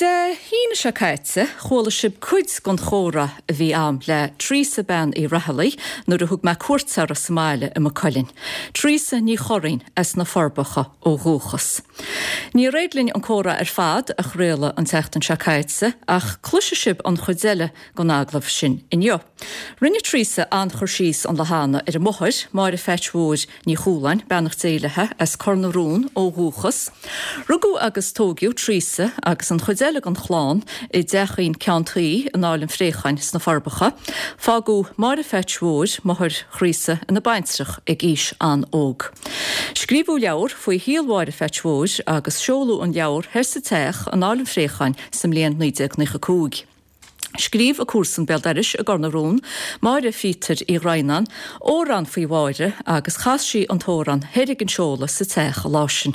Dé hAoine seo caite, chuala sibh cuid den chomhrá a bhí a'm le Teresa Bean Uí Raghallaigh nuair a thug mé cuairt uirthi sa mbaile i Maigh Cuilinn. Teresa Ní Churraoin as na Forbacha ó dhúchas. Níor éirigh linn an comhrá ar fad a chraoladh an tseachtain seo caite ach cloisfidh sibh an chuid eile den agallamh sin inniu. Rinne Teresa an-chur síos an lá cheana ar a máthair, Máire Pheait Mhóir Ní Chualáin, beannacht Dé léi, as Cor na Rón ó dhúchas. Rugadh agus tóigeadh Teresa agus an chuid eile den chlann i dteachín ceann tuí in Áill an Phréacháin sna Forbacha. Fágadh Máire Pheait Mhóir, máthair Threasa, ina baintreach ag aois an-óg. Scríobhadh leabhar faoi shaol Mháire Pheait Mhóir agus seoladh an leabhar thoir sa teach in Áill an Phréacháin sa mbliain 1995. Scríobh a comharsan béal dorais i gCor na Rón, Máire Phíotair Uí Dhroighneáin, amhrán faoi Mháire agus chas sí an t-amhrán thoir ag an seoladh sa teach an lá sin.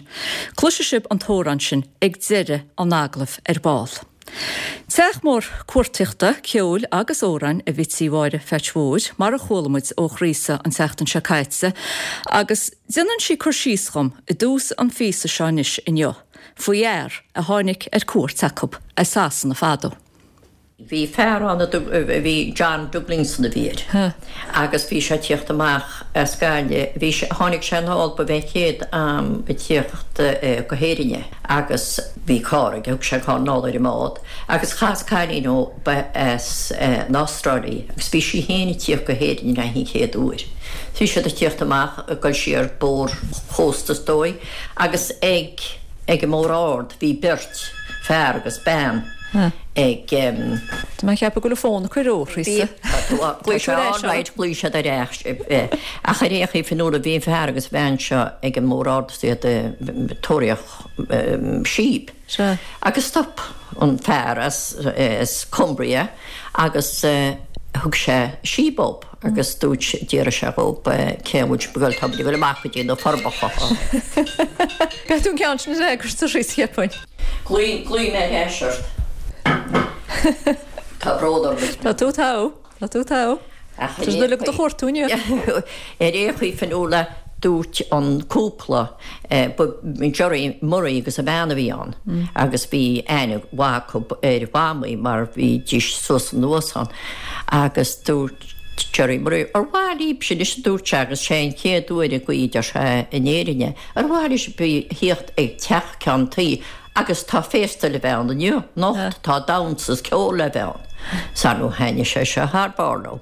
Cloisfidh sibh an t-amhrán sin ag deireadh an agallaimh ar ball. Teach mór cuartaíochta, ceoil agus amhráin a bhí tí Mháire Pheait Mhóir, mar a chuala muid ó Threasa an tseachtain seo caite, agus déanann sí cur síos dhom i dtús an phíosa seo anois inniu. faoi fhear a tháinig ar cuairt acu as Sasana fadó. Bhí fear ann a bhí John Douglinson a bhí air agus bhí sé ag tíocht amach as Gaillimh. Bhí sé, tháinig sé anall, ba bh'é an chéad am ag tíocht go hÉirinn é agus bhí carr aige, thug sé an carr anall ar an mbád agus chas cailín ó ba as an Astráil í agus bhí sí féin ag tíocht go hÉirinn le an chéad uair. Bhí siad ag tíocht amach ag dul siar bóthar chósta is dóigh Agus ag ag an mBóthar Ard bhí beirt, fear agus bean, ag. Tá mé ag ceapadh go bhfuil an fón ag cur ó, Threasa. Ghlaoigh sé all right, ghlaoigh siad ar ais. Ach ar aon chaoi, Fionnuala, bhí an fear agus an bhean seo ag an mBóthar Ard is iad ag tóraíocht síob. Agus stop an fear as Cumbria agus thug sé síob dóibh agus dúirt, d'fhiafraigh sé dhób cé bhfuil sibh ag dul, tá muid ag dul amach go dtí na Forbacha. Caithfidh tú an ceann sin a fhreagairt a Threasa, cheapfainn. Glaofaidh mé ar ais ort. Tá brón orm. Tá tú togha. Tá tú togha. Tá siad uilig do chuartú inniu. Ar aon chaoi, Fionnuala, dúirt an cúpla, ba Gerry Murray agus a bhean a bhí ann agus bhí aithne mhaith acu ar Mhamaí mar bhídís suas anuas ann agus dúirt Gerry Murray, ar mhaith libhse anois a dúirt sé agus sé an chéad uair agaibh a deir sé in Éirinn é, ar mhaith libhse thíocht ag teach ceann tuí Agus tá féasta le bheith ann inniu, anocht, tá damhsa is ceol le bheith ann. 'S ar ndóigh thaitnigh sé seo thar barr leo.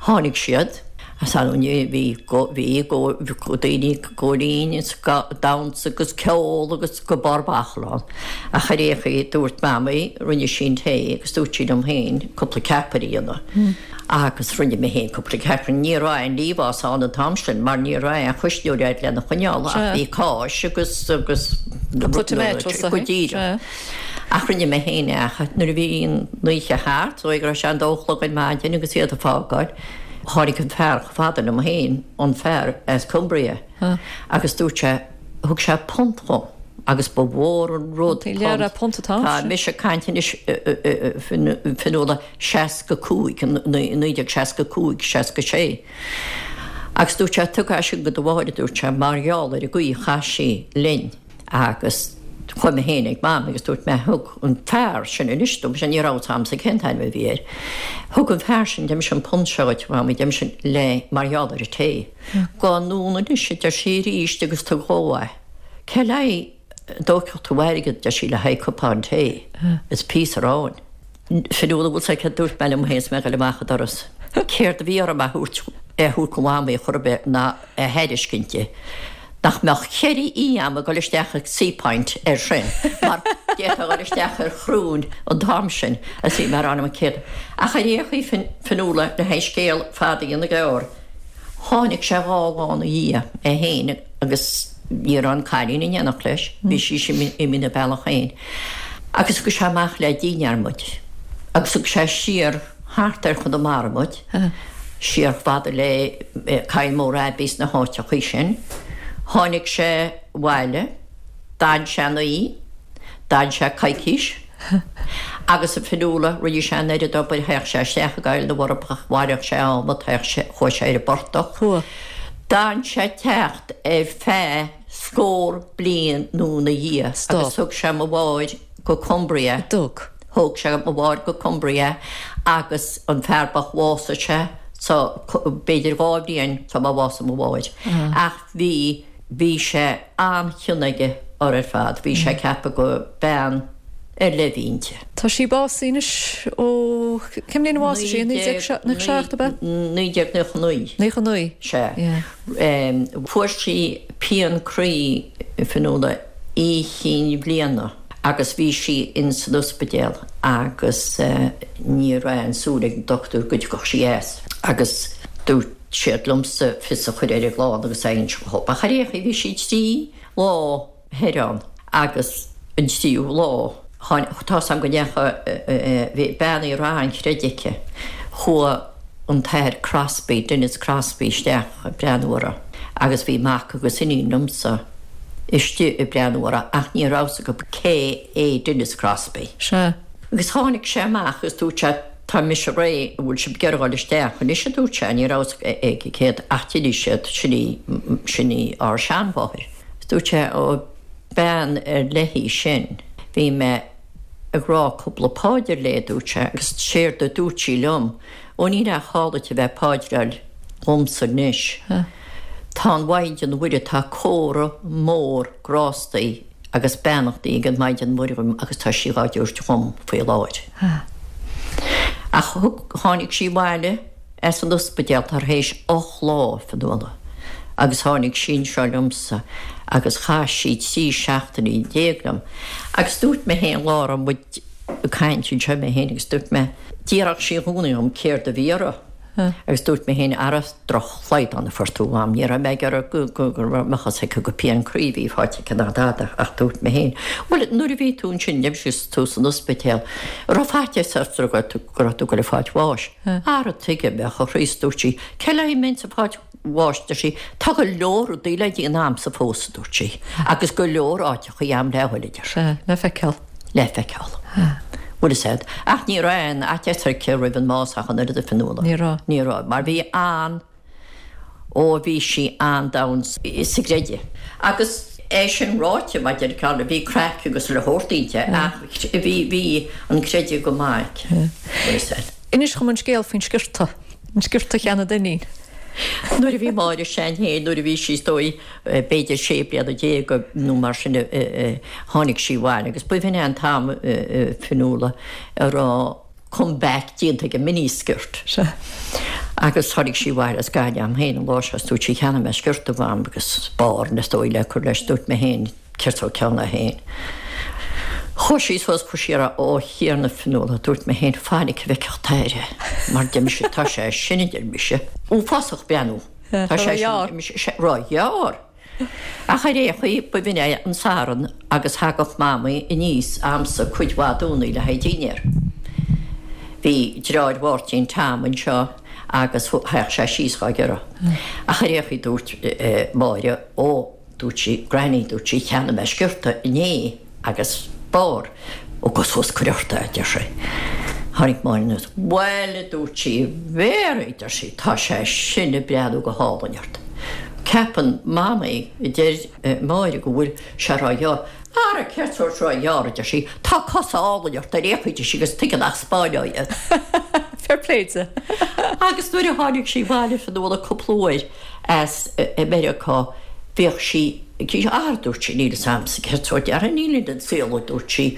Tháinig siad, 's ar ndóigh bhí, bhí, daoine ag góilín is damhsa agus ceol agus go barr bachall ann. Ach ar aon chaoi, dúirt Mamaí, rinne sí an tae agus dúirt sí liom féin cúpla ceapaire a dhéanamh. Agus rinne mé féin cúpla ceapaire. Ní raibh aon liamhás ann an t-am sin mar ní raibh aon chuisneoir agat lena choinneáil ach bhí cáis agus agus Cúpla tomatoes go díreach. Ach rinne mé féin é ach nuair a bhí an oíche thart, dóigh go raibh sé an dó a chlog ar maidin agus iad ag fágáil, tháinig an fear chomh fada liom féin, an fear as Cumbria, agus dúirt sé, thug sé punt dhom agus ba mhór an rud punt. Tá mise ag caint anois Fionnuala 65, 1965, 66. Agus dúirt sé, Tug é sin go do mháthair, a dúirt sé, mar gheall ar an gcaoi a chaith sí linn. Agus chuaigh mé féin ag Mam agus dúirt mé, thug an fear sin anois dom, ní raibh fhios a'msa cén t-ainm a bhí air, thug an fear sin deirimse an punt seo dhuit, a Mhamaí, deirimse le mar gheall ar an tae. Gabh anonn anois, a deir sí arís, agus tug dhó é. Cé le haghaidh a dtógfadh tú airgead, deir sí, le haghaidh cupán tae is píosa aráin. Fionnuala, bhfuil 's agat céard dúirt mé liom féin is mé ag dul amach an doras. Céard a bhí orm a thabhairt, é a thabhairt go Mhamaí chor ar bith ná a thairiscint di. Nach mbeadh 4 oíche a'm ag dul isteach ag Seapoint air sin mar d'fhéadfá a dhul isteach ar chrúin an t-am sin is bhí mé ag rá liom céard. Ach ar aon chaoi Fionnuala, le haghaidh scéal fada a dhéanamh gearr, tháinig sé dhá lá ina dhiaidh, é féin agus ní raibh an cailín in éineacht leis, bhí sí imithe ina bealach féin. Agus thug sé amach le dinnéar muid, agus thug sé siar thart ar Chonamara muid, siar chomh fada le Kylemore Abbey sna háiteachaí sin. Tháinig sé abhaile, d'fhan sé an oíche, d'fhan sé coicís, agus a Fionnuala, rinne sé an oiread obair, théadh sé isteach i gCoill na bhForbacha, bhailíodh sé adhmad, théadh sé, chuaigh sé ar an bportach. D'fhan sé ag teacht ar feadh scór bliain nó ina dhiaidh agus thug sé mo mháthair. go Cumbria. Dtug. Thóg sé mo mháthair go Cumbria agus an fear bocht bhásaigh sé so b'fhéidir 2 bhliain sula bhásaigh mo mháthair. Ach bhí, bhí sé an-chion aige orthu ar fad. Bhí sé ag ceapadh go bean ar leith a bhí inti. Tá sí básaithe anois ó, cén bhliain a bhásaigh sí? 1997 ab ea? 1999. 99. Sea. Fuair sí pian croí, Fionnuala, oíche chinn bhliana agus bhí sí ins an ospidéal agus ní raibh aon súil ag an dochtúir go dtiocfadh sí as agus dúirt siad liomsa fios a chur ar an gclann agus é a inse dhób. Ach ar aon chaoi bhí sí 3 lá thoir ann agus an tríú lá tháinig, tá's a'm go ndeachaigh, bhí bean a raibh an-chreideamh aici, chuaigh an tAthair Crosby, Denis Crosby isteach ag breathnú uirthi agus bhí mac agus iníon liomsa istigh ag breathnú uirthi ach ní raibh 's acu cé é Denis Crosby. Sea. Agus tháinig sé amach agus dúirt sé tá mise réidh, an bhfuil sibh ag iarraidh dhul isteach anois a dúirt sé, ní raibh 's acu céard ach d'inis siad sin í, sin í ár seanmháthair. Dúirt sé, Ó, bean ar leith í sin. Bhí mé ag rá cúpla páidir léi, a dúirt sé, agus séard a dúirt sí liom, Ó, níl aon chall duit a bheith ag paidreáil dhomsa anois. Tá an Mhaighdean Mhuire, tá comhartha mór grástaí agus beannachtaí ag an Maighdean Mhuire dhom agus tá sí dhá dtabhairt dhom faoi láthair. Ach thug, tháinig sí abhaile. as an ospidéal tar éis 8 lá, Fionnuala, agus tháinig sí anseo liomsa agus chaith sí 13 seachtainí liom. Agus dúirt mé féin lá a raibh muid ag caint anseo mé féin agus dúirt mé, d'fhiafraíodh sí i gcónaí dhom céard a bhí uirthi. Agus dúirt mé féin, ara drochshlaghdán a fuair tú mham, ní raibh mé ag iarraidh go go go mbeadh a fhios aici gur pian croí a bhí faighte aici ná dada ach dúirt mé féin, bhuel nuair a bhí tú ansin, deir tú san ospidéal, raibh faitíos ort go raibh tú go raibh tú ag goil ag fáilt bháis. Ara tuige a mbeadh, a Chríost, dúirt sí, cé le haghaidh mbeinnse ag fáilt bháis, deir sí, tá go leor rudaí le déanamh a'msa fós, a dúirt sí, agus go leor áiteachaí a'm le dhul, a deir sí. Sea, le feiceáil. Le feiceáil. Bhfuil fhios a'd. Ach ní raibh aon fhaitíos aici roimh an mbás ach an oiread, a Fionnuala. Ní raibh. Ní raibh, mar bhí an. Ó bhí sí an-domhain sa gcreideamh. Agus é sin ráite, mar deir Carla, bhí craic agus chuile shórt inti ach bhí, bhí an creideamh go maith aici. Bhfuil fhios a'd. Inis dhom an scéal faoin sciorta, an sciorta a cheannaigh d'iníon. Nuair a bhí Máire sean féin, nuair a bhí sí is dóigh b'fhéidir 16 bliana nó mar sin a tháinig sí abhaile agus b'in é an t-am, a Fionnuala, a raibh, come back déanta ag an mini skirt. Sea. Agus tháinig sí abhaile as Gaillimh a'm féin an lá seo is dúirt sí cheannaigh mé sciorta a mham agus barr is dóigh le cur leis dúirt mé féin céard sórt ceann é féin. Chuaigh sí suas chuir sí uirthi ó a Thiarna Fionnuala dúirt mé féin fainic a bhfeicfeadh t'athair é mar deir mise tá sé sin a deir mise uafásach breathnú tá sé sin ró-ghearr. Ach ar aon chaoi, b'in é an Satharn agus thagadh Mamaí aníos a'msa cuid mhaith Domhnaigh le haghaidh dinnéar. Bhí deartháir Mháirtín, Tom, anseo agus thagadh sé síos dhá ghiorra. Ach ar aon chaoi dúirt Máire, Ó, dúirt sí, Granny, dúirt sí, cheannaigh mé sciorta inné. Agus barr, Ó gabh suas cuir ort é, a deir sé. Tháinig Máire anuas. Bhuel, a dúirt sí, Mary, a deir sí, tá sé sin ag breathnú go hálainn ort. Ceapann Mamaí, a deir Máire, go bhfuil sé ró-ghearr. Ara, céard sórt ró-ghearr, a deir sí, tá cosa álainn ort ar aon chaoi, a deir sí, agus tuige nach spáineá iad. Fair play di. Agus nuair a tháinig sí abhaile Fionnuala cúpla uair as Meiriceá, bhíodh sí, Ara, dúirt sí, níl fhios a'msa céard sórt ara níl an saol, a dúirt sí,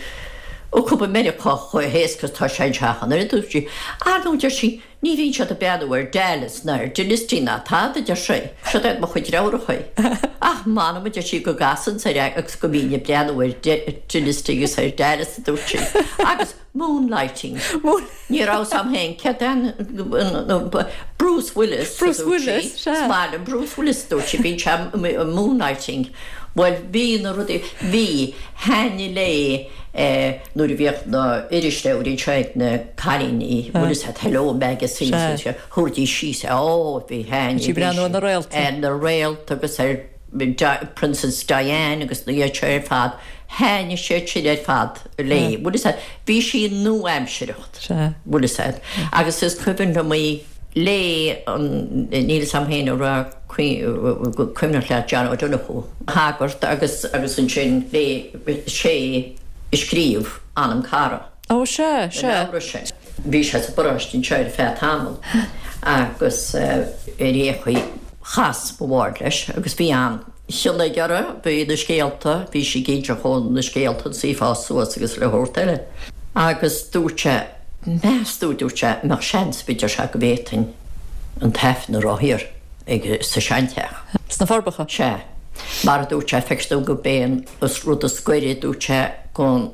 acu i Meiriceá chomh héasca is tá sé anseo ach an oiread, a dúirt sí. Ar ndóigh, deir sí, ní bhíonn siad ag breathnú ar Dallas ná ar Dynasty ná tada, a deir sí, siod iad mo chuid deartháireachaí. Ach m'anam, a deir sí, go gcasainn air agus go mbínn ag breathnú ar Dynasty agus ar Dallas, a dúirt sí. Agus Moonlighting. Ní raibh 's a'm féin céard é an Bruce Willis. Bruce Willis, sea. Is maith liom Bruce Willis, dúirt sí, bíonn sé moonlighting. Bhuel, bhí na rudaí, bhí, thaitnigh léi nuair a bhíodh na irisleabhair anseo ag na cailíní, bhfuil fhios a'd, Hello Magazine, thabharfaidís síos é, ó, bhí, thaitnigh. Bhí sí ag breathnú ar na réalta. Ar na réalta agus ar Princess Diane agus na iad seo ar fad. Thaitnigh siad sin ar fad léi. Bhfuil fhios a'd, bhí sí nua-aimsireacht. Bhfuil fhios a'd. Agus is cuimhin liom í léigh an, níl fhios a'm féin an raibh cuimhneach leat John O'Donoghue, shagart agus agus ansin léigh sé. ag scríobh Anam Cara. Ó, sea, sea. Na leabhra sin. Bhí sé sa bparóiste anseo ar feadh tamaill agus ar aon chaoi chas mo mháthair leis agus bhí an-chion aige uirthi, bhí na scéalta, bhí sí ag inseacht dhó na scéalta agus í ag fás suas agus chuile shórt eile. Agus dúirt sé, meas tú, dúirt sé, an mbeadh seans ar bith, deir sé, go bhféadfainn an tAifreann a rá thiar ag, sa seanteach. Sna Forbacha? Sea. Mar a dúirt sé, feictear dom gurb é an rud is gaire, dúirt sé, gon.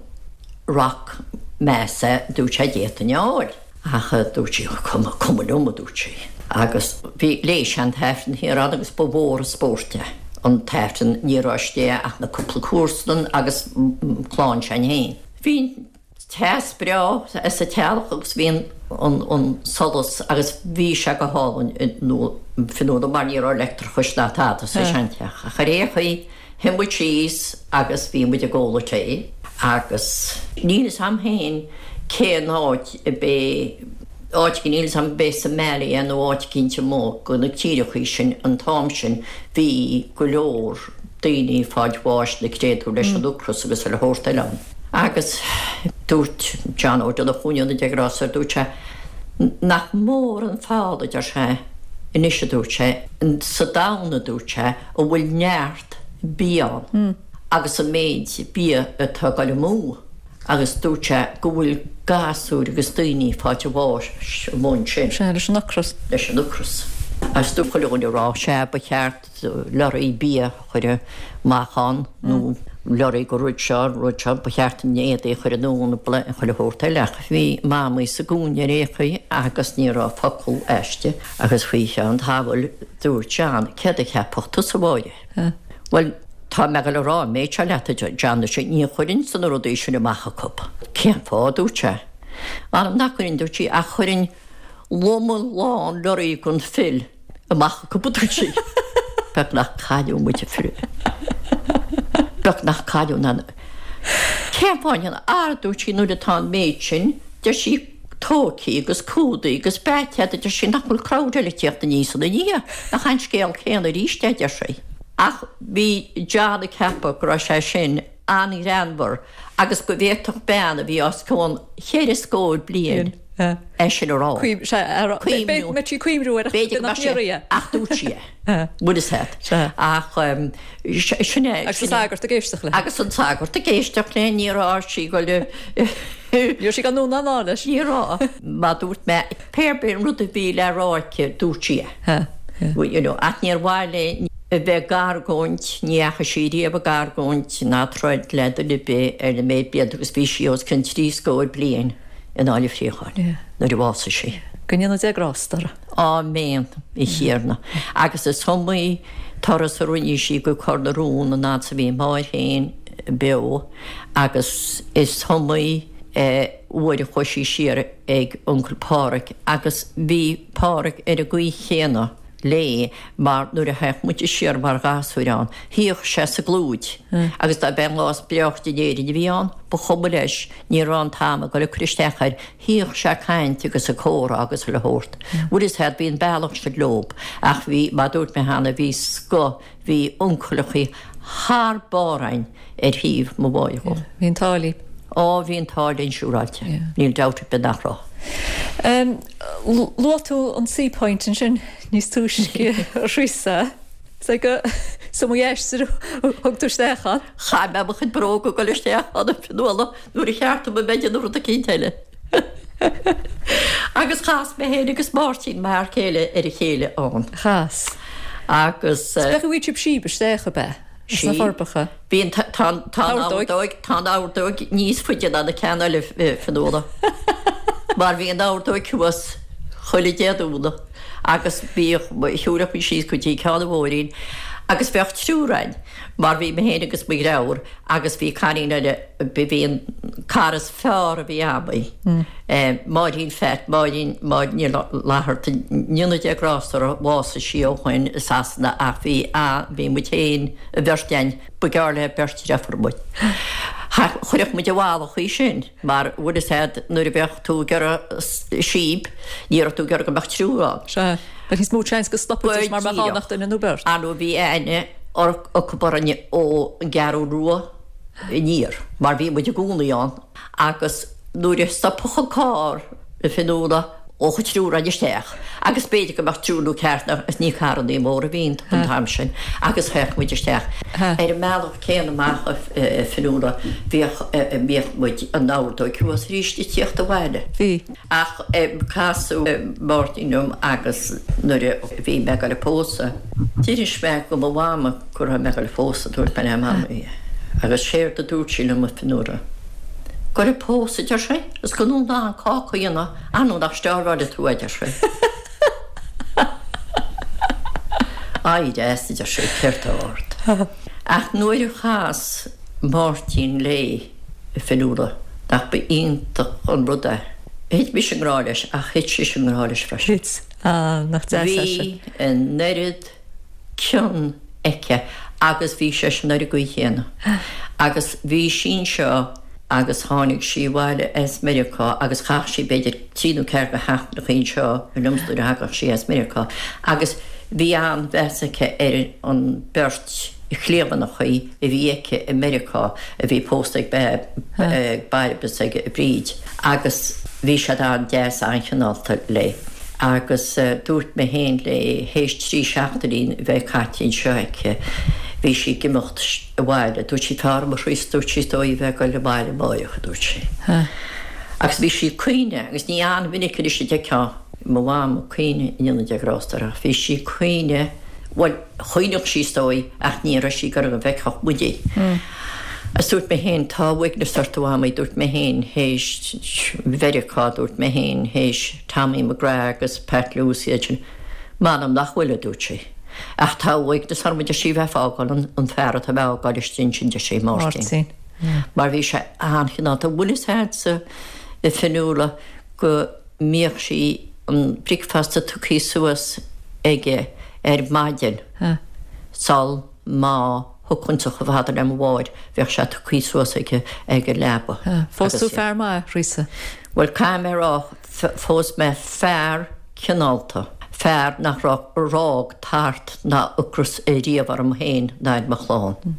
Rock Mass é, dúirt sé, d'fhéadfainn a fháil. Ach dúirt sí, cuma, cuma liom, a dúirt sí. Agus bhí, léigh sé an tAifreann thiar ann agus ba mhór an spórt é an tAifreann, ní raibh istigh ach na cúpla comharsan agus clann s'againn féin. Bhí an teas breá sa teallach agus bhí an, an, an solas agus bhí sé go hálainn Fionnuala mar ní raibh leictreachas ná tada sa seanteach. Ach ar aon chaoi, Shuigh muid síos agus bhí muid ag ól an tae agus níl fhios a'm féin cén áit a b'é, áit níl fhios a'm b'é Somalia nó áit eicínt amuigh go na tíreachaí sin an t-am sin bhí go leor daoine ag fáilt bháis na créatúir leis an ocras agus chuile shórt eile ann. Agus dúirt John Ó Donnchú, go ndéana Dia grásta air, dúirt sé nach mór an feall a deir sé anois a dúirt sé, sa domhan a dúirt sé, a bhfuil neart bia ann agus an méid bia atá ag dul amú agus dúirt sé go bhfuil gasúir agus daoine ag fáilt a bháis amuigh ansin. Sea, leis an ocras. Leis an ocras. Agus dúirt chuile dhuine ag rá, sea, ba cheart lorraí bia a chur amach ann nó lorraí go rud seo, an rud seo, ba cheart an éadaí a chur anonn, chuile shórt eile ach bhí Mamaí sa gcúinne ar aon chaoi agus ní raibh focal aisti agus faoi cheann tamaill Dúirt John, Céard a cheapfadh tusa, a Mháire? Bhuel, tá mé ag dul a rá an méid seo leat, a John, ar sé, ní chuirfinnse na rudaí sin amach acu. Cén fáth? a dúirt sé. M'anam nach gcuirfinn, dúirt sí, ach chuirfinn loma lán lorraí den fuil amach acu, a dúirt sí. Beag nach cailleadh muid, a Phri. Beag nach cailleadh ná. Cén fáth? Ara, dúirt sí, nuair atá an méid sin, deir sí, tógthaí agus cumhdaithe agus beathaithe a deir sí, nach bhfuil crowd eile ag tíocht aníos ina ndiaidh, nach an scéal céanna arís é, a deir sí. Ach bhí John ag ceapadh go raibh sé sin an-ghreannmhar agus go bhféadfadh bean a bhí os cionn cheithre scór bliain é sin a rá. Cuimhniú. Cuimhniú ar B'fhéidir go mbeadh sé, ach dúirt sí é. Bhfuil fhios a'd. Ach sin é. Agus an sagart ag éisteacht léi. Agus an sagart ag éisteacht léi, ní raibh sí ag dul. Ní raibh sí ag dul anonn ná anall leis. Ní raibh. Mar dúirt mé, pé ar bith an rud a bhí le rá aici, dúirt sí é. You know, ach níor mhaith léi a bheith ag argóint, ní dheachaigh sí riamh ag argóint ná troid le duine ar bith ar an méid blianta agus bhí sí os cionn trí scór bliain in Áill an Phríocháin nuair a bhásaigh sí. Go ndéana Dia grásta uirthi. Áiméan, a Thiarna. Agus is iomaí turas a rinne sí go Cor na Rón an fhad 's a bhí a máthair féin beo. Agus is iomaí uair a chuaigh sí siar ag Uncail Páraic agus bhí Páraic ar an gcaoi chéanna léi mar nuair a théadh muide siar mar ghasúir ann, shuíodh sé sa gclúid agus dá b'é an lá is breáichte in Éirinn a bhí ann, ba chuma leis, ní raibh an t-am ag dul ag cur isteach air, shuíodh sé ag caint agus ag comhrá agus chuile shórt. Bhfuil fhios a'd, bhí an bealach sin leob ach bhí, mar dúirt mé cheana, bhí scoth, bhí uncaileachaí thar barr a'inn. ar thaobh mo mháthar dhó. Bhí an t-ádh linn. Á, bhí an t-ádh linn siúráilte. Níl dabht ar bith nach raibh. Luaigh tú an Seapoint ansin níos túisce, a Threasa. Is é go is iomaí aistear a thug tú isteach ann. Chaith mé mo chuid bróga ag dul isteach ann, a Fionnuala, nuair a cheart dom a bheith ag déanamh rud eicínt eile. Agus chas mé féin agus Máirtín, m'fhear céile, ar a chéile ann. Chas. Agus. Is beag a bhí sibh síob isteach, ab ea? Sna Forbacha. Bhí an, tá an, tá an ordóig, tá an ordóig níos faide ná na ceann eile, Fionnuala. Mar bhí an ordóig thuas chuile Dé Domhnaigh agus bhíodh, shiúlfadh muid síos go dtí Ceann an Mhóirín agus bheadh triúr a'inn mar bhí mé féin agus mo dheartháir agus bhí cailín eile, bhí an cara is fearr a bhí a'm í, Máirín Phat, Máirín, Máirín Ní Fhlatharta, ndéana Dia grásta uirthi, bhásaigh sí ó shoin i Sasana ach bhí a, bhí muid féin, an bheirt a'inn, ba gearr le beirt deirfiúr muid. Chuirfeadh muid i bhfalach í sin mar bhfuil fhios a'd nuair a bheadh tú ag iarraidh síob, ní raibh tú ag iarraidh go mbeadh triúr ann. Sea, bheadh níos mó seans go stopfaidís mar mbeadh ann ach duine nó beirt. Ar ndóigh bhí aithne acu orainne ón gCeathrú Rua. aniar mar bhí muid i gcónaí ann agus nuair a stopfadh an carr a Fionnuala ghabhfadh an triúr againn isteach agus b'fhéidir go mbeadh triúr nó ceathrar agus ní carrannaí móra a bhí iontu an t-am sin agus théadh muid isteach. Ar an mbealach céanna amach a Fionnuala bhíodh bhíodh muid an ordóig thuas arís ag tíocht abhaile. Bhí. Ach casadh Máirtín liom agus nuair a bhí mé ag dul a pósadh, d'inis mé go mo mhama go raibh mé ag dul a phósadh, dúirt mé le Mamaí agus séard a dúirt sí liom a Fionnuala, Goil a pósadh, a deir sí, is gan tú in ann cáca a dhéanamh, ar ndóigh nach steárbháileann tú é, a deir sí. Éirigh as, a deir sí, céard tá ort? Ach nuair a chas Máirtín léi, a Fionnuala, nach ba iontach an rud é. Thit mise i ngrá leis ach thit sise i ngrá leis freisin. Thit. Ah, nach deas é sin. Bhí an oiread cion aici agus bhí seisean ar an gcaoi chéanna. Agus bhí sí anseo agus tháinig sí abhaile as Meiriceá agus chaith sí b'fhéidir trí nó ceathair de sheachtaineacha anseo liomsa nuair a thagadh sí as Meiriceá agus bhí an-mheas aici ar an beirt chliamhaineachaí a bhí aici i Meiriceá a bhí pósta ag Bairb is ag Bríd agus bhí siad an-deas an-chineálta léi agus dúirt mé féin léi théis trí seachtainí a bheith caite anseo aici bhí sí ag imeacht abhaile dúirt sí tá orm a Threasa dúirt sí is dóigh a bheith ag goil abhaile amáireach a dúirt sí agus bhí sí ag caoineadh agus ní an-mhinic anois a d'fheicfeá mo mham ag caoineadh in ionad a grásta ach bhí sí ag caoineadh bhuel Chaoinfeadh sí is dóigh ach ní raibh sí ag iarraidh go bhfeicfeadh muid í. Agus dúirt mé féin, tá uaigneas ort a Mhamaí, dúirt mé féin, théis Mheiriceá, dúirt mé féin, théis Tommy McGrath agus Pat Lucey iad sin. M'anam nach bhfuil, a dúirt sí. Ach tá uaigneas orm, a deir sí, bheith ag fágáil an fear atá mé a fhágáil istigh ansin, deir sí, Máirtín. Mar bhí sé an-chineálta. Bhfuil fhios a'dsa, a Fionnuala, go mbíodh sí an bricfeasta tugthaí suas aige ar maidin sul má thiocfainnse chomh fada le mo mháthair, bheadh sé tugthaí suas aige ag an leaba. Phós tú fear maith, a Threasa. Bhuel, caithfidh mé a rá, phós mé fear cineálta, fear nach raibh ar fhág tart ná ocras riamh orm féin ná ar mo chlann,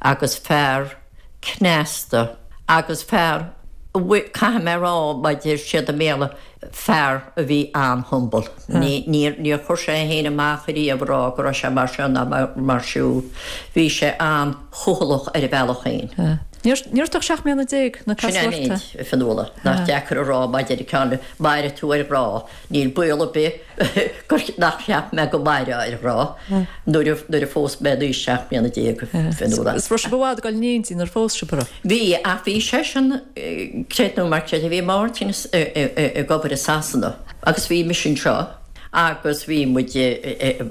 agus fear cneasta agus fear, caithfidh mé a rá, mar a deir siad i mBéarla, fear a bhí an-humble. Níor chuir sé é féin amach ariamh a rá go raibh sé mar seo ná mar siúd. Bhí sé an-chúthalach ar a bhealach féin. Ní raibh tú ach 17 mbliana nuair a Sin casadh é an ort. méid, a Fionnuala, nach deacair a rá má deir ceann, mairfidh tú ar ghrá. Níl baol ar bith gur nach cheap mé go mairfeá ar ghrá nuair a nuair a phós mé in aois 17 mbliana, a Fionnuala. Is raibh sibh i bhfad ag dul in éindí nuair a phós sibh, an raibh? Bhí, ach bhí seisean, creid nó mar creid, bhí Máirtín ag obair i Sasana agus bhí mise anseo agus bhí muid,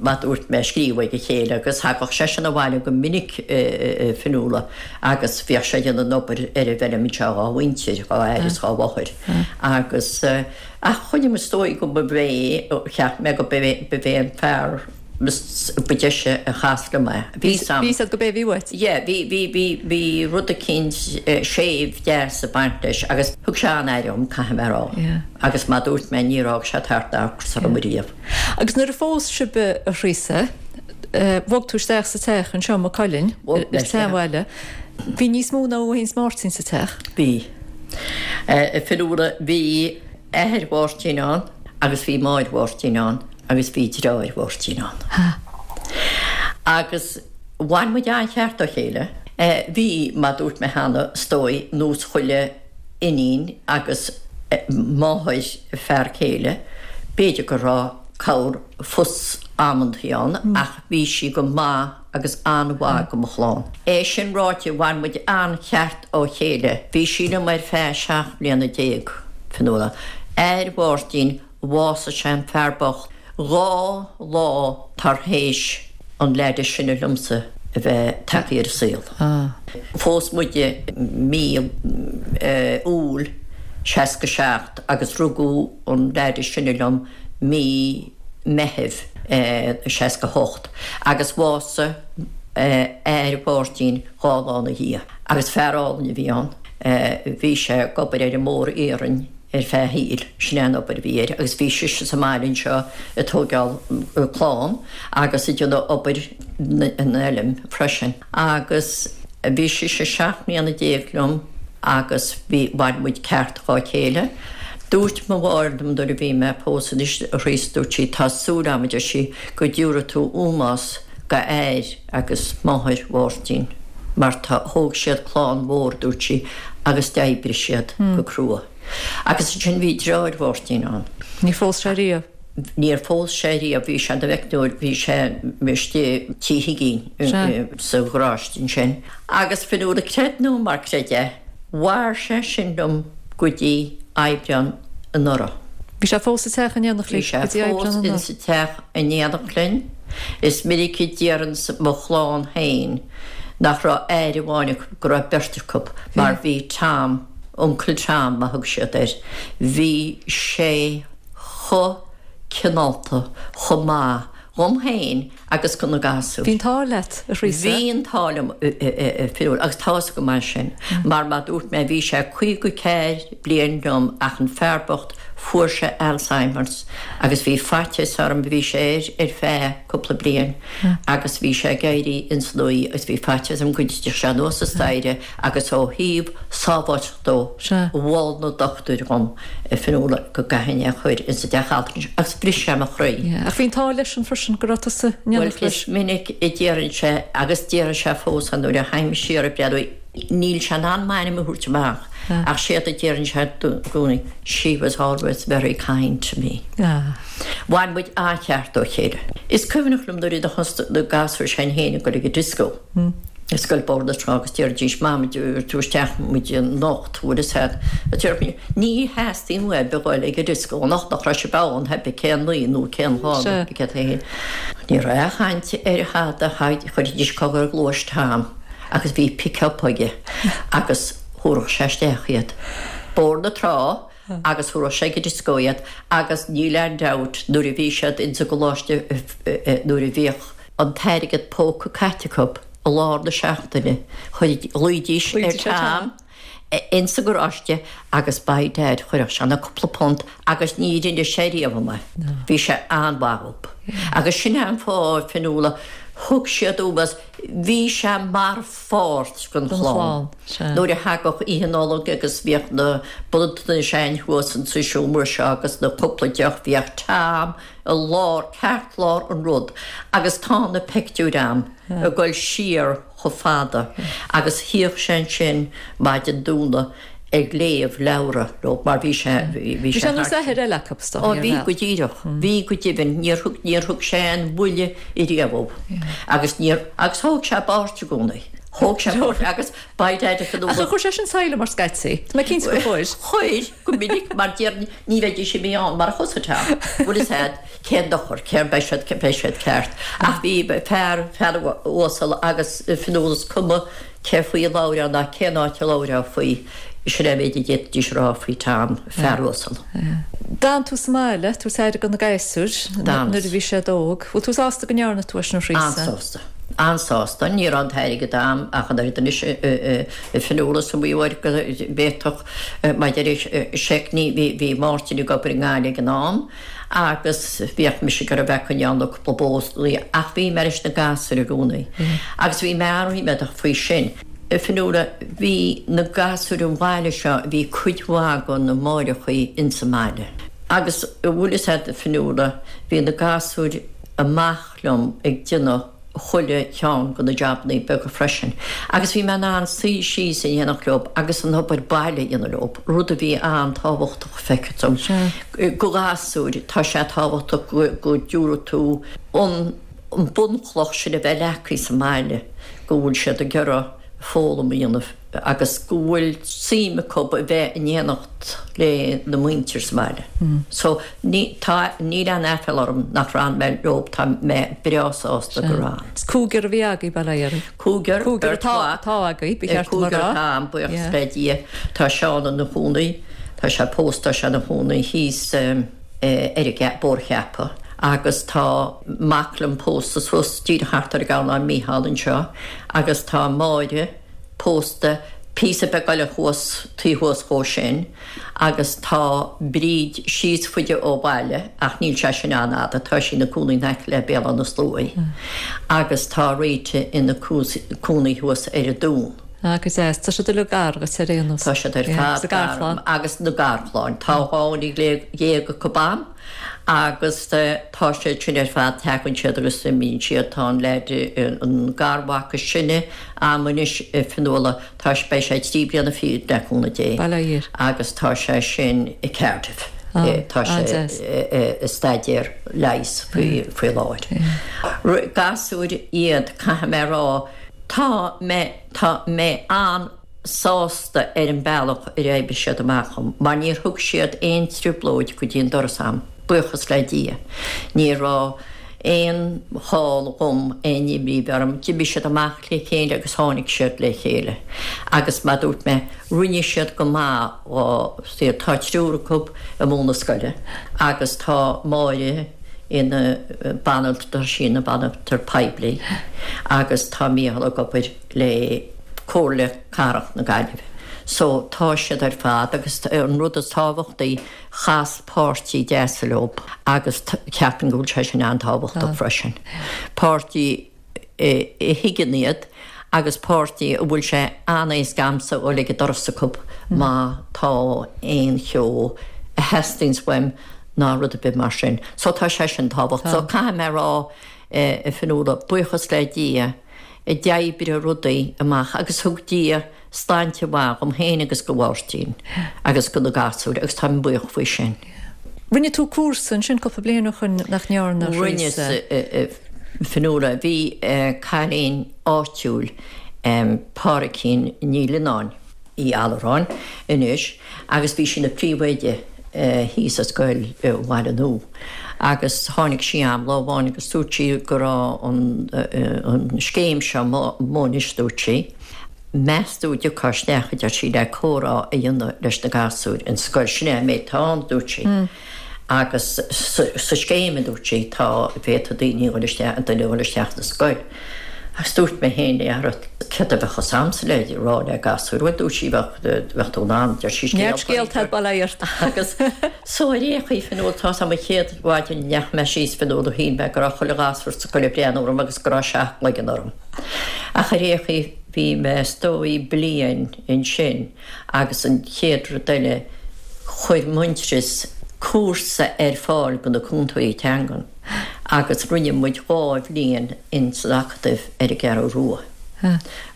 mar dúirt mé, ag scríobh ag a chéile agus thagadh seisean abhaile go minic a Fionnuala agus bhíodh sé ag déanamh an obair ar an bhfeilm anseo dhá mhuintir, dhá athair is dhá mháthair agus ach choinnigh muid is dóigh go ba é, cheap mé go ba é an fear ba deise a chas liom é. Bhí fhios a'd go b'é a bhí uait. Yeah, bhí, bhí, bhí, bhí rud eicínt séimh deas ag baint leis agus thug sé an-aire dhom, caithfidh mé a rá. Yeah. Agus mar dúirt mé, níor fhág sé tart ná ocras orm ariamh. Agus nuair a phós sibh a Threasa, bhog tú isteach sa teach anseo i Maigh Cuilinn, Bhog mé ar isteach. tseanbhaile. Bhí níos mó ná thú féin is Máirtín sa teach. Bhí. A Fionnuala, bhí athair Mháirtín ann agus bhí máthair Mháirtín ann agus bhí deartháir Mháirtín ann. Agus bhain muid an-cheart dá chéile. Bhí, mar dúirt mé cheana, is dóigh, nós chuile iníon agus máthair fear céile, b'fhéidir go raibh corr fuss amantaí ann ach bhí sí go maith agus an-mhaith go mo chlann. É sin ráite, bhain muid an-cheart ó chéile. Bhí sí liom ar feadh 17 mbliana, Fionnuala. Athair Mháirtín, bhásaigh sé an fear bocht dhá lá tar théis an leaid is sine liomsa a bheith tagtha ar an saol. Phós muid i mí Iúil 67 agus rugadh an leaid is sine liom mí Meithimh 68 agus bhásaigh athair Mháirtín dhá lá ina dhiaidh. Agus fear álainn a bhí ann. Bhí sé ag obair ar an mbóthar iarainn ar feadh a shaoil, sin é an obair a bhí air, agus bhí sise sa mbaile anseo ag tóigeáil clann agus ag déanamh obair an fheilm freisin. Agus. Bhí sise 17 mbliana liom agus bhí, mhair muid ceart dhá chéile. Dúirt mo mháthair liom nuair a bhí mé ag pósadh anois, a Threasa, dúirt sí, tá súil a'm, a deir sí, go dtiúrfaidh tú ómós go athair agus máthair Mháirtín mar tá, thóg siad clann mhór, dúirt sí, agus d'oibrigh siad go crua. Agus ansin bhí deartháir Mháirtín ann. Níor phós sé riamh. Níor phós sé riamh, bhí sé ina mheicneoir, bhí sé istigh Tí Higgín sa gharáiste ansin. Agus Fionnuala, creid nó mar creid é, mhair sé sin liom go dtí Aibreán anuraidh. Bhí sé fós sa teach in éineacht libh go dtí Aibreán anuraidh? Bhí sé fós insa teach in éineacht linn. Is minic a déarfainnse mo chlann féin nach raibh athair amháin acu, go raibh beirt acu, mar bhí Tom, Uncle Tom mar a thug siad air, bhí sé chomh cineálta, chomh maith dhom féin agus do na gasúir. Bhí an t-ádh leat, a Threasa. Bhí an t-ádh liom, a Fhionnuala, agus tá fhios agam é sin, mar mar dúirt mé, bhí sé 54 bliain liom ach an fear bocht, fuair sé Alzheimer's agus bhí faitíos orm, bhí sé air ar feadh cúpla bliain agus bhí sé ag éirí ins an oíche agus bhí faitíos orm go dtitfeadh sé anuas an staighre agus ó thaobh sábháilteachta dó, mhol na dochtúirí dhom, a Fhionnuala, go gcaithfinn é a chur insa dteach altranais agus bhris sé mo chroí. Ach bhí an t-ádh leisean freisin go raibh tusa in éineacht leis. Bhuel, is minic a déarfainn sé, agus déarfaidh sé fós é nuair a théim siar ag breathnú, níl sé in ann m'ainm a thabhairt amach ach séard a déarfainn sé i gcónaí, she was always very kind to me. Mhair muid an-cheart dá chéile. Is cuimhneach liom nuair a thosaigh na gasúir s'againn féin ag dul ag an disco. i scoil Bóthar na Trá agus déarfaidís Mam an dtabharfaidh tú isteach muid anocht bhfuil fhios a'd a déarfainn ní theastaíonn uaibh a dhul ag an disco anocht nach raibh sibh ann pé cén lá nó cén lá nó céard é féin. Ní raibh aon chaint ar thada chuirfidís cogar ar ghluais Tom agus bhí pick up aige agus thabharfadh sé isteach iad. Bóthar na Trá agus thabharfadh sé ag an disco iad agus níl aon dabht nuair a bhí siad ins an gcoláiste nuair a bhíodh an t-airgead póca caite acu i lár na seachtaine, ghlaoidís ar Tom ins an gharáiste agus by dad chuirfeadh sé na cúpla punt agus ní rinne sé riamh é. Bhí sé an-mhaith dhób. Agus sin é an fáth, Fionnuala, thug siad ómós, bhí sé mar pháirt den chlann. Nuair a thagadh Oíche Nollag agus bhíodh na bronntanais a'inn thuas insa seomra seo agus na cúpla deoch, bhíodh Tom i lár, ceartlár an rud agus tá na peictiúir a'm ag dul siar chomh fada agus shuíodh sé ansin maidin Domhnaigh ag léamh leabhra leo mar bhí sé, bhí sé Bhí sé nós athair eile acu is dóigh, Ó bhí go díreach, bhí go deimhin, níor thug, níor thug sé aon bhuille ariamh dhób agus níor, agus thóg sé a pháirt i gcónaí, thóg sé a pháirt agus by dad Ach ar chuir sé sin saighleam ort scaití? Tá mé cinnte gur chuir. Chuir. Go minic, mar déarfainn, ní bheidís imithe ann marach thusa, Tom. Bhfuil fhios a'd, cén dochar, céard, beidh siad, beidh siad ceart. Ach bhí fear, fear uasal agus Fionnuala is cuma cé faoi a labhrófá ná cén áit a labhrófá faoi, sin é an méid a d'fhéadfaidís a rá faoi Tom, fear uasal. D'fhan tú sa mbaile, ag tabhairt aire do na gasúir nuair a bhí siad óg. Bhfuil tú sásta go ndearna tú é sin, a Threasa? An-sásta. An-sásta. Ní raibh an t-airgead a'm ach an oiread anois, a Fionnuala, is iomaí uair go bhféadfadh Maidir le seic, ní, bhí, bhí Máirtín ag obair i nGaillimh ag an am agus bhíodh mise ag iarraidh bheith ag coinneáil na cúpla bó ach bhí mé leis na gasúir i gcónaí agus bhí mé an-ríméadach faoi sin. A Fionnuala, bhí na gasúir an bhaile seo, bhí cuid mhaith de na máithreachaí ins an mbaile agus an bhfuil fhios a'd a Fionnuala, bhí na gasúir amach liom ag déanamh chuile cheann de na jabannaí beaga freisin agus bhí mé in ann suí síos in éineacht leo agus an obair baile a dhéanamh leo, rud a bhí an-tábhachtach, feictear dom. Do ghasúir, tá sé tábhachtach go dtabharfaidh tú an bunchloch sin a bheith leagtha sa mbaile, go bhfuil siad ag iarraidh foghlaim a dhéanamh agus go bhfuil suim acu a bheith in éineacht le na muintir sa mbaile. So ní, tá, níl aon aiféala orm nach raibh mé leo, tá mé breá sásta go raibh. Is cúigear a bhí agaibh, bail ó Dhia oraibh. Cúigear, Cúigear atá, atá agaibh, ba cheart dom a rá. Cúigear atá a'm, buíochas le Dia. Tá Seán ina chónaí, tá sé pósta, tá sé ina chónaí thíos ar an Bóthar Cheaptha agus tá mac liom pósta suas díreach thart ar an gCarnán, Mícheál anseo agus tá Máire, pósta. Píosa beag eile thuas, taobh thuas dhó sin agus tá Bríd síos faide ó bhaile ach níl sé sin an-fhada, tá sí ina cónaí in aice le Béal Átha na Sluaighe agus tá Rita ina cónaí thuas ar an Dún. Ah, go deas. Tá siad uilig gar dhuit ar aon nós. Tá siad ar fad gar dom agus na garchlann. Tá 12 dhuine acu a'm agus tá siad sin ar fad, tagann siad agus imíonn siad. Tá an leaid, an garmhac is sine a'm anois, Fionnuala, tá, beidh sé trí bliana fichead le cúnamh Dé. Bail ó Dhia air. Agus tá sé sin i Cardiff. Tá sé ag staidéar leighis faoi láthair. Gasúir iad, caithfidh mé a rá. Tá mé, tá mé an-sásta ar an bealach ar oibrigh siad amach dhom, mar níor thug siad aon trioblóid go dtí an doras a'm, buíochas le Dia. Ní raibh aon chall dhom aon imní a bheith orm, d'imigh siad amach le chéile agus tháinig siad le chéile. Agus mar dúirt mé, rinne siad go maith dhá saol. Tá triúr acu ag múineadh scoile agus tá Máire, ina banaltra, tá sí ina banaltra poiblí agus tá Mícheál ag obair le Comhairle Cathrach na Gaillimhe. So tá siad ar fad agus an rud is tábhachtaí, chas páirtí deas leo agus ceapaim go bhfuil sé sin an-tábhachtach freisin. Páirtí a thuigeann iad agus páirtí a bhfuil sé an-éasca a'msa dhul ag an doras acu má tá aon cheo a theastaíonns uaim ná rud ar bith mar sin. So tá sé sin tábhachtach. So caithfidh mé a rá, a Fionnuala, buíochas le Dia, d'oibrigh rudaí amach agus thug Dia sláinte mhaith dhom féin agus go Mháirtín agus go na gasúir agus táim buíoch faoi sin. Rinne tú cúrsa ansin cúpla bliain ó shoin nach ndearna, a Rinne, a Fionnuala. Bhí cailín áitiúil, Pádraicín Ní Lionáin, Uí Allaráin anois, agus bhí sí ina príomhoide thíos i scoil Bhaile Nua agus tháinig sí a'm lá amháin agus dúirt sí go raibh an scéim seo amuigh anois, dúirt sí. Meas tú an dtiocfá isteach, a deir sí, le comhrá a dhéanamh leis na gasúir in scoil. Sin é an méid atá ann, a dúirt sí. Agus sa scéim, a dúirt sí, tá, féadfaidh daoine a dhul isteach, duine a dhul isteach sa scoil. Agus dúirt mé féin léi, ara, céard a bheadh fhios a'msa le rá le gasúir? Bhuel, dúirt sí, bheadh, bheadh tú in ann, deir sí, scéalta. Neart scéalta ag bail ort. Agus so ar aon chaoi, Fionnuala, tá 'fhios a'm an chéad mhaidin a ndeachaigh mé síos, Fionnuala, shíl mé go raibh chuile ghasúr sa scoil ag breathnú orm agus go raibh seacht gcloigeann orm. Ach ar aon chaoi, bhí mé is dóigh bliain ansin agus an chéad rud eile, chuir Muintearas cúrsa ar fáil do na cúntóirí teangan agus rinne muid dhá bhliain in san Acadamh ar an gCeathrú Rua.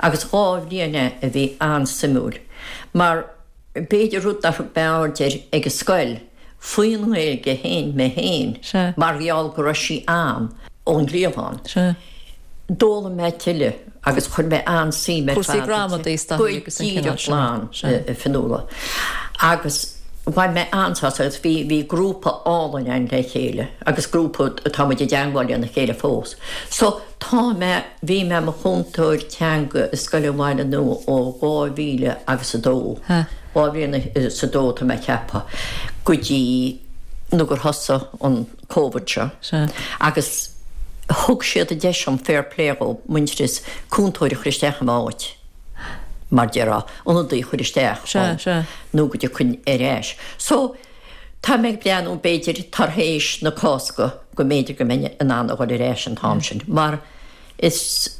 Agus dhá bhliain é a bhí an-suimiúil mar B'fhéidir rud nár thug mé aird air ag an scoil faoin nGaeilge féin, mé féin, mar gheall go raibh sí a'm ón gcliabhán. D'fhoghlaim mé tuilleadh agus chuir mé an-suim ar fad inti. Go díreach glan, a Fionnuala. Agus bhain mé an-sásamh agus bhí, bhí grúpa álainn againn le chéile agus grúpa atá muid i dteangmháil lena chéile fós. So tá mé. Bhí mé i mo chúntóir teanga i Scoil an Bhaile Nua ó 2000 agus a dó, 2002 tá mé ag ceapadh, go dtí nó gur thosaigh an Covid seo agus thug siad an deis dom, fair play dhóibh, Muintearas, cúntóir a chur isteach i m'áit, mar déarfá, ionadaí a chur isteach dhom nó go dtiocfainn ar ais. So, tá mé ag breathnú b'fhéidir tar éis na Cásca go mb'fhéidir go mbeinn in ann a dhul ar ais an t-am sin mar is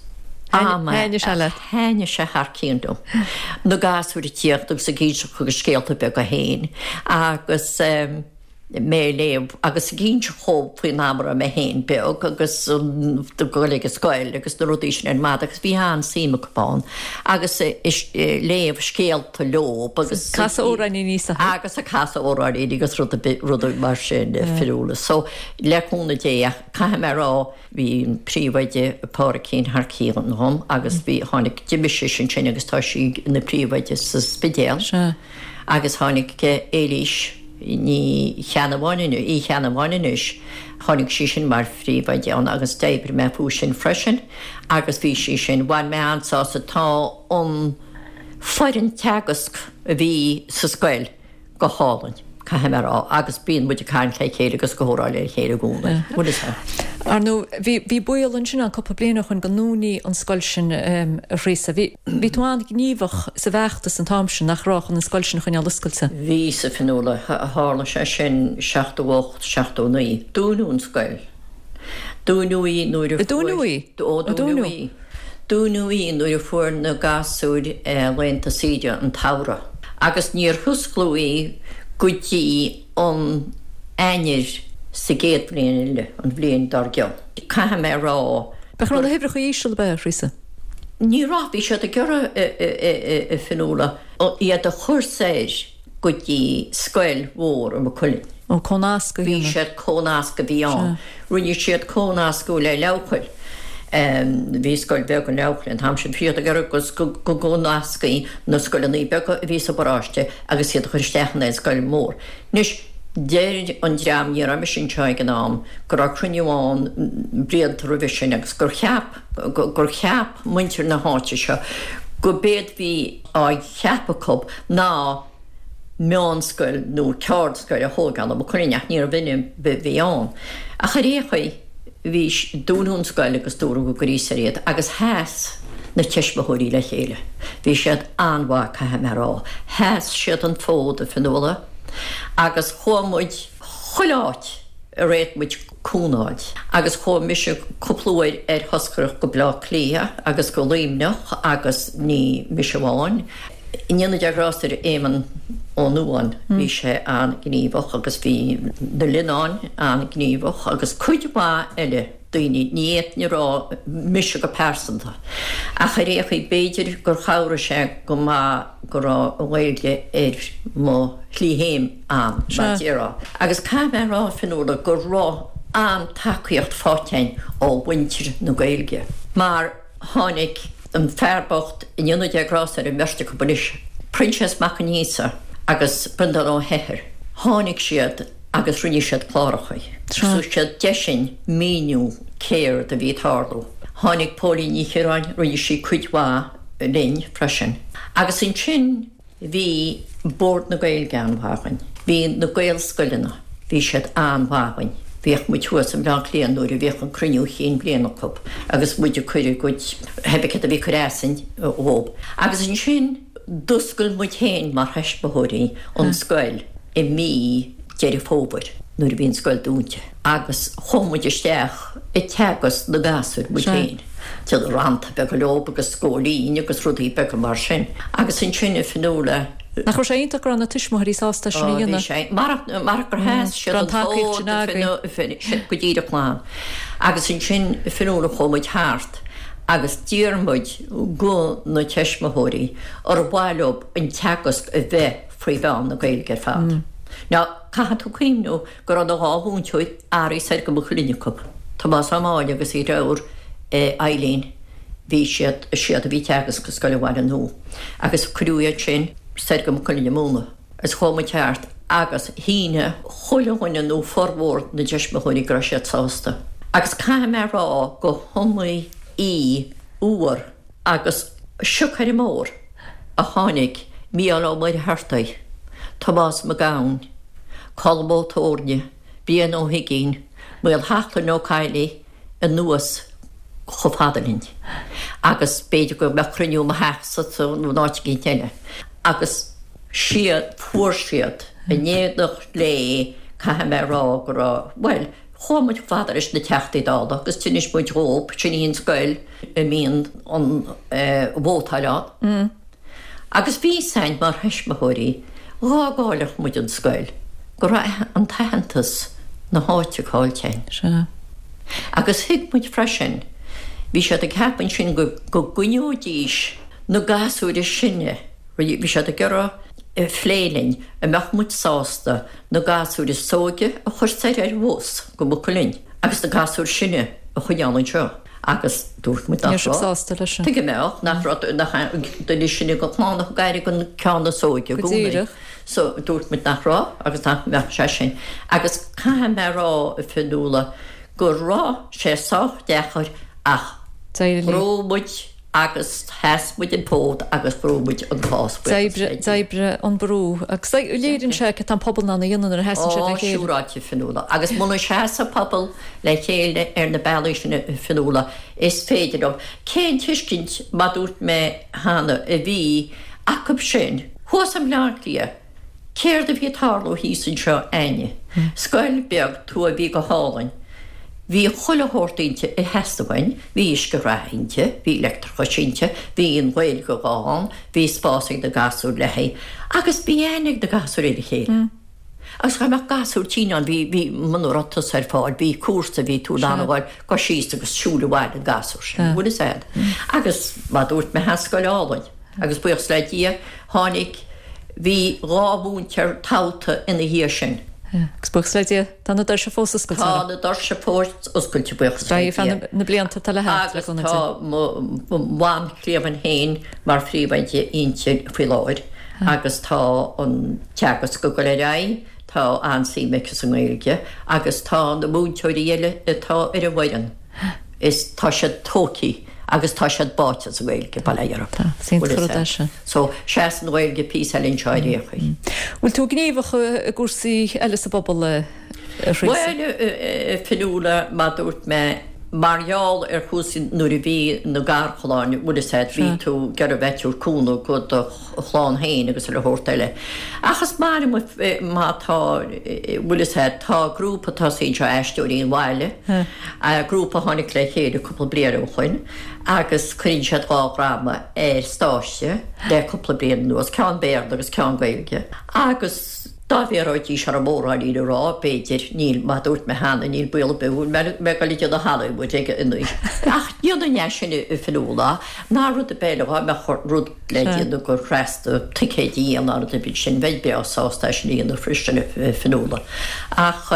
am é a thaitnigh sé thar cionn liom. Na gasúir ag tíocht agus ag inseacht a scéalta beaga féin agus mé ag léamh agus ag inseacht dhóibh faoin am a raibh mé féin beag agus ag dul ag an scoil agus na rudaí sin ar fad agus bhí an-suim acu ann agus léamh scéalta leo agus Casadh amhráiníní is agus ag casadh amhráiníní agus rudaí mar sin Fionnuala. So le cúnamh Dé ach caithfidh mé a rá bhí an príomhoide Pádraicín thar cionn dhom agus bhí tháinig d'imigh sise ansin agus tá sí ina príomhoide sa Spidéal agus tháinig Éilís Ní Cheannabháin Uí Cheannabháin anois tháinig sí sin mar phríomhoide ann agus d'oibrigh mé fúithi sin freisin agus bhí sí sin bhain mé an-sásamh tá an foireann teagasc a bhí sa scoil go hálainn, caithfidh mé a rá, agus bíonn muid ag caint le chéile agus ag comhrá le chéile i gcónaí. Bhfuil fhios agat. Ar ndóigh, bhí, bhí baol ansin ann cúpla bliain ó shoin go ndúnfaí an scoil sin, a Threasa. Bhí, bhí tú an-ghníomhach sa bhfeachtas an t-am sin, nach raibh, chun an scoil sin a choinneáil oscailte? Bhí, a Fionnuala. Tharla sé sin 78, 79. Dúnadh an scoil. Dúnadh í nuair a fuair. Dúnadh í? Ó, dúnadh í. Dúnadh í nuair a fuair na gasúir laethanta saoire an tsamhraidh. Agus níor hosclaíodh í go dtí an Eanáir sa gcéad bhliain eile, an bhliain dár gcionn. Caithfidh mé a rá Nach raibh na huimhreacha íseal, ab ea, a Threasa? Ní raibh, bhí siad ag iarraidh, a Fionnuala, iad a chur soir go dtí scoil mhór i Maigh Cuilinn. Ó, cónascadh a dhéanamh. Bhí siad, cónasc a bhí ann. Rinne siad cónascadh le Leamhchoill. Bhí scoil bheag in Leamhchoill an t-am sin. Bhí siad ag iarraidh go gcónascfaí na scoileanna beaga a bhí sa bparáiste agus iad a chur isteach in aon scoil mhór. Anois, deir an dream, ní raibh mise anseo ag an am, go raibh cruinniú ann blianta roimhe sin agus gur cheap, gur cheap muintir na háite seo go b'éard bhí á cheapadh acu ná meánscoil nó ceardscoil a thógáil i Maigh Cuilinn ach níorbh in a bhí ann. Ach ar aon chaoi, bhí, dúnadh an scoil agus dúradh go gcuirí soir iad agus sheas na tuismitheoirí le chéile. Bhí siad an-mhaith, caithfidh mé a rá. Sheas siad an fód, a Fionnuala, agus chuaigh muid chuile áit ar fhéad muid cúnamh a fháil. Agus chuaigh mise cúpla uair ar thoscaireacht go Bleá Cliath agus go Luimneach agus ní mise amháin. I ndéanamh Dé grásta ar Éamonn Ó Nuadháin, bhí sé an-ghníomhach agus bhí na Lionáin an-ghníomhach agus cuid mhaith eile daoine, ní fhéadfainn a rá mise go pearsanta, ach ar aon chaoi b'fhéidir gur chabhraigh sé go maith go raibh an Ghaeilge ar mo shlí féin ann, mar a déarfá. Agus caithfidh mé a rá, Fionnuala, go raibh an-tacaíocht faighte againn ó mhuintir na Gaeilge mar, Tháinig an fear bocht, i ndéanamh Dé grásta ar an mbeirt acu anois, Proinsias Mac Aonghusa agus Breandán Ó hEithir, tháinig siad agus rinne siad cláracha. Thug siad deis dúinn míniú céard a bhí ag tarlú. Tháinig Póilín Ní Chiaráin, rinne sí cuid mhaith linn freisin. Agus ansin. Bhí Bord na Gaeilge an-mhaith againn. Bhí na Gaelscoileanna, bhí siad an-mhaith againn. Bhíodh muid thuas i mBleá Cliath nuair a bhíodh an cruinniú chinn bliana acu agus muid ag cur a gcuid, pé céard a bhí ag cur asainn dhób. Agus ansin d'oscail muid féin mar thuismitheoirí an scoil i mí Deireadh Fómhair nuair a bhí an scoil dúnta. Agus chuaigh muid isteach ag teagasc na gasúir muid féin. Déanamh rannta beaga leob agus góilín agus rudaí beaga mar sin. Agus ansin a Fionnuala. Nach raibh sé iontach go raibh na tuismitheoirí sásta sin a dhéanamh? Ó bhí sé. Marach gur sheas siad an fód go díreach lán. Agus ansin a Fionnuala chuaigh muid thart agus d'iarr muid go na tuismitheoirí ar mhaith leob an teagasc a bheith faoi mheán na Gaeilge ar fad. Now caithfidh tú cuimhniú go raibh na 2 mhúinteoir athraithe soir go Maigh Cuilinn acu, Tomás Ó Máille agus a dheirfiúr Eileen, bhí siad, siad a bhí ag teagasc i Scoil an Bhaile Nua agus cuireadh iad sin soir go Maigh Cuilinn ag múineadh. Agus chuaigh muid thart agus shínigh chuile dhuine nó formhór na dtuismitheoirí go raibh siad sásta. Agus caithfidh mé a rá go hiomaí uair Agus siocair mór a tháinig Mícheál Ó Muircheartaigh, Tomás Mac Gabhann, Colm Ó Tóirne, Brian Ó hUiginn, Maolsheachlainn Ó Cadhlaigh anuas chomh fada linn. Agus b'fhéidir go mbeadh cruinniú i mo theachsa nó in áit eicínt eile. Agus siad, fuair siad, in éineacht léi, caithfidh mé a rá go raibh, bhuel, Chuaigh muid chomh fada leis na Teachtaí Dála agus d'inis muid dhób, sin í an scoil a mbíonn an vótáil ann. Agus bhí fhios a'inn mar thuismitheoirí dhá gcaillfeadh muid an scoil go raibh an t-aitheantas na háite caillte a'inn. Sea. Agus thuig muid freisin, bhí siad ag ceapadh ansin go gcoinneoidís na gasúir is sine, bhí siad ag iarraidh phlé linn, an mbeadh muid sásta na gasúir is óige a chur soir ar bhus go Maigh Cuilinn agus na gasúir is sine a choinneáil anseo agus dúirt muid nach raibh. sásta leis sin. Tuige mbeadh, nach raibh, nach duine is sine den chlann a thug aire don ceann is óige i Go gcónaí. díreach. So dúirt muid nach raibh agus nach mbeadh sé sin. Agus caithfidh mé a rá, a Fionnuala, go raibh sé sách deacair ach D'éirigh ghnóthaigh muid. Agus sheas muid an fód agus bhrúigh muid an cás, buíochas le Dia. D'oibrigh an brú. Agus léiríonn sé cad tá an pobal in ann a dhéanamh nuair a sheasann siad le chéile. Ó, siúráilte, Fionnuala. Agus muna seasann pobal le chéile ar na bealaí sin, a Fionnuala, is féidir leo. Cén tuiscint, mar dúirt mé cheana, a bhí acu sin thuas i mBleá Cliath? Céard a bhí ag tarlú thíos anseo a'inne? Scoil beag tuaithe a bhí go hálainn. Bhí chuile shórt inti a theastaigh uainn, bhí uisce reatha inti, bhí leictreachas inti, bhí an Ghaeilge ann, bhí spás ag na gasúir le haghaidh, agus bhí aithne ag na gasúir ar a chéile. Agus dá mbeadh gasúr tinn ann, bhí, bhí, muna raibh tusa ar fáil, bhí cúrsa, bhí tú in ann a ghoil go síos agus siúl abhaile an gasúr sin, bhfuil fhios a'd. Agus mar dúirt mé, tá scoil álainn. Agus buíochas le Dia, tháinig, bhí 2 mhúinteoir toghta ina dhiaidh sin. Agus buíochas le Dia, tá na doirse fós oscailte. Tá na doirse fós oscailte, buíochas le Dia. Beidh feadh na blianta atá le theacht, le Agus cúnamh Dé. tá mo bhanchliamhain féin mar phríomhoide inti faoi láthair agus tá an teagasc ag dul ar aghaidh, tá an-suim aici sa nGaeilge agus tá na múinteoirí eile atá ar an bhfoireann, is tá siad tógtha agus tá siad báite sa Ghaeilge, bail ó Dhia orthu. Tá, is iontach an rud é sin. So, seas an Ghaeilge píosa eile anseo ar aon chaoi. Bhfuil tú gníomhach i gcúrsaí eile sa bpobal, a Threasa? Bhuel, a Fionnuala, mar dúirt mé, mar gheall ar chúrsaí nuair a bhí na garchlann, bhfuil fhios a'd, bhí tú ag iarraidh bheith ag tabhairt cúnamh go do chlann féin agus chuile shórt eile. Ach is maith liom má tá, bhfuil fhios a'd, tá grúpa tosaithe anseo, Aisteoirí an Bhaile, grúpa a tháinig le chéile cúpla bliain ó shoin agus cuireann siad 2 dhráma ar stáitse le cúpla bliain anuas, ceann Béarla agus ceann Gaeilge. Agus dá bhfiafróidís orm óráidí a rá, b'fhéidir, níl, mar dúirt mé cheana, níl baol ar bith go bhfuil mé ag dul ag déanamh Hollywood ag an aois. Ach dhéanfainn é sin a Fionnuala, ná rud ar bith eile, dhá mbeadh rud le déanamh go hrasta ticéid a dhéanamh ná rud ar bith sin, bheinn breá sásta é sin a dhéanamh freisin a Fionnuala. Ach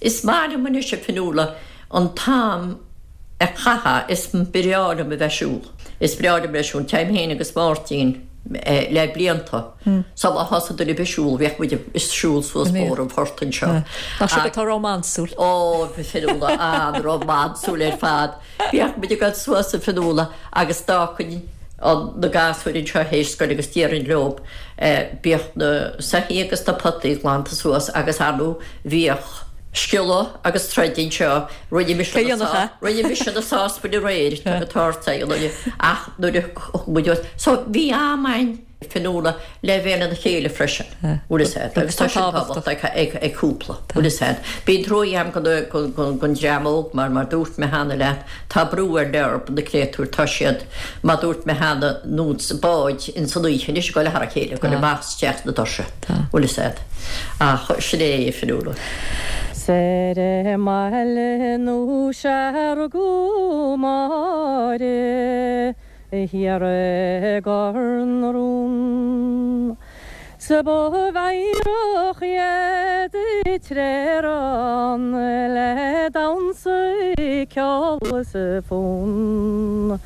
is maith liom anois a Fionnuala an t-am a chaitheamh, is breá liom a bheith ag siúl. Is breá liom a bheith ag siúl. Téim féin agus Máirtín le blianta. Sula thosaigh duine ar bith ag siúl, bhíodh muid ag siúl suas Bóthar an Phortaigh anseo. Nach sibh atá rómánsúil? Ó, a Fionnuala, an-rómánsúil ar fad. Bhíodh muid ag dul suas a Fionnuala agus d'fhágfainn na gasúir anseo théis scoile agus déarfainn leob, bíodh na soithí agus na potaí glanta suas agus ar ndóigh bhíodh sciolladh agus troid anseo, rinne mise Cé dhéanfadh é? rinne mise na sáspain aréir, tá go tart ach nuair a thug muid so bhí am a'inn. Fionnuala, le bheith lena chéile freisin, bhfuil fhios a'd, agus tá sin tábhachtach ag cúpla, bhfuil fhios a'd. Bíonn truaí a'm gon dream óg mar, mar dúirt mé cheana leat, tá brú ar leor na créatúir, tá siad, mar dúirt mé cheana, nós báid ins an oíche anois ag dul thar a chéile, ag dul amach is isteach sna doirse, bhfuil fhios a'd. Ach sin é, a Fionnuala. Soir i mBaile nó sea rugadh Máire. Thiar i gCor na Rún. 'S ba mheidhreach iad an tréar ann le damhsa, ceol is fonn.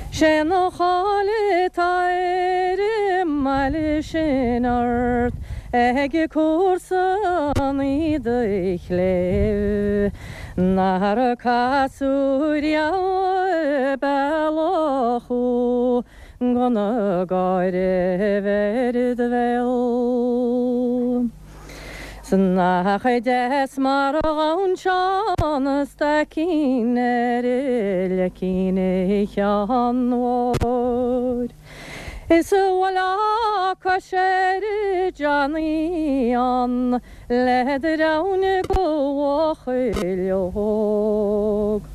'Sé an cháil atá ar an mbaile sin ort ag comharsanaí do chléibh. Nár casadh riamh bealach thú gan gáire bheith ar do bhéal. 'S nach deas mar a ghabhann Seán a staicín ar leicín Sheáin Mhóir. Is a bhuailfeá cois ar Johnny ann le dream de bhuachaill óg.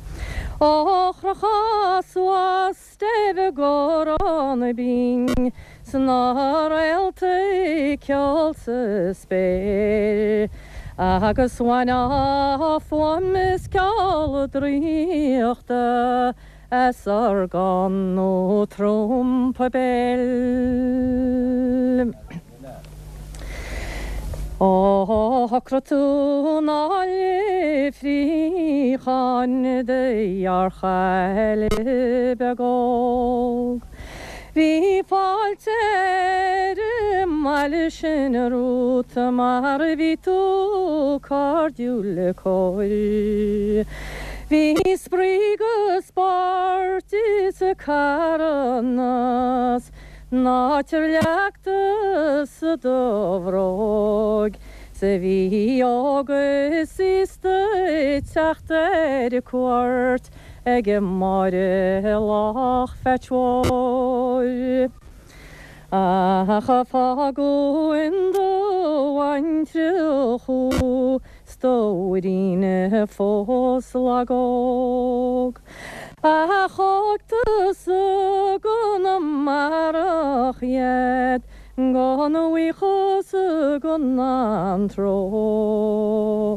Ó chrochadh suas steip i gCorrán Binn 's na réaltaí ag ceol sa spéir agus bhainfeá fuaim is ceol draíochta as orgán nó trumpa béil. Ó shocraigh tú ná leifríocháin do ghearrchaile beag óg. Bhí fáilte ar an mbaile sin romhat mar bhí tú cairdiúil cóir. Bhí spraoi 'gus spórt is carthanas 'San áit ar leag tusa do bhróg 'S a bhí óg is aosta ag teacht ar cuairt ag Máire Lách Pheait Mhóir. Ach fágadh in do bhaintreach thú 's do mhuirín fós lag óg. Ach thóg tusa go n-amárach iad gan bhuíochas gan antró.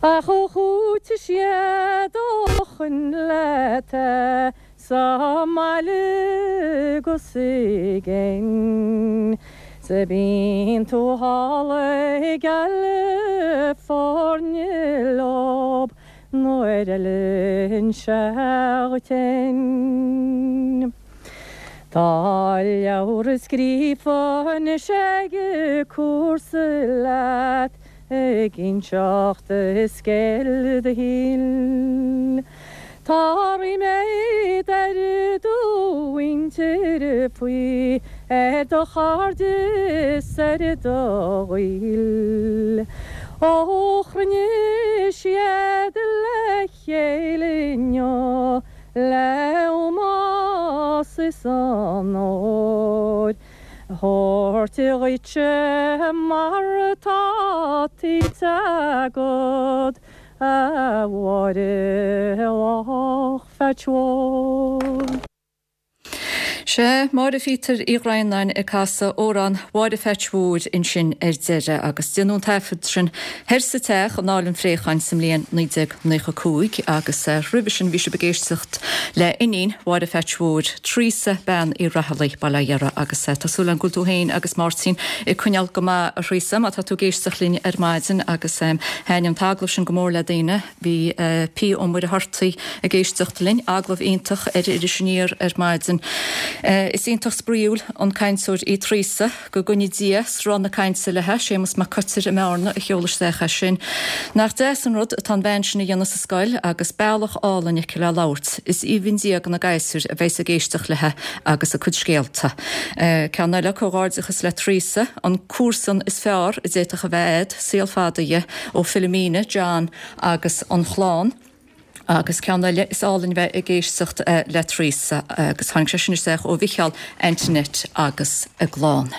Ach chúitigh siad ó shoin leat sa mbaile 'gus i gcéin. 'S bíonn tú thall i gCalifornia leob nuair a fheileann sé dhuit fhéin. Tá leabhar scríofa anois ag cúrsa leat ag inseacht scéal do shaoil. Tá ríméad ar do mhuintir faoi, ar do chairde 's ar do ghaoil. Ó chruinnigh siad le chéile inniu le ómós is onóir. Thabhairt dhuitse mar atá tuillte agat, a Mháire Lách Pheait Mhóir. Sea, Máire Phíotair Uí Dhroighneáin ag casadh amhrán Mháire Pheait Mhóir ansin ar deireadh agus déanadh an taifead sin thoir sa teach in Áill an Phréacháin sa mbliain 1995 agus roimhe sin bhí sibh ag éisteacht le iníon Mháire Pheait Mhóir, Treasa Bean Uí Raghallaigh, Baile Átha Dheartha agus tá súil agam go bhfuil tú féin agus Máirtín ag coinneáil go maith a Threasa má tá tú ag éisteacht linn ar maidin agus thaitnigh an t-agallamh sin go mór le daoine. Bhí P. Ó Muircheartaigh ag éisteacht linn, agallamh iontach ar Iris Aniar ar maidin. Is iontach spraíúil an cainteoir í Treasa. Go gcoinní Dia sruth na cainte léi, Séamus Mac Coitir i mBearna a sheol isteach é sin. Nach deas an rud atá an bhean sin a dhéanamh sa scoil agus bealach álainn aici le labhairt. Is aoibhinn Dia do na gasúir a bheas ag éisteacht léi agus a cuid scéalta. Ceann eile, comhghairdeachas le Treasa, an comharsan is fearr a d'fhéadfadh a bheith a'd, saol fada dhi, ó Philomena, John agus an chlann. Agus ceann eile, is álainn bheith ag éisteacht le Treasa agus tháinig sé sin isteach ó Mhicheál, Antoinette agus a gclann.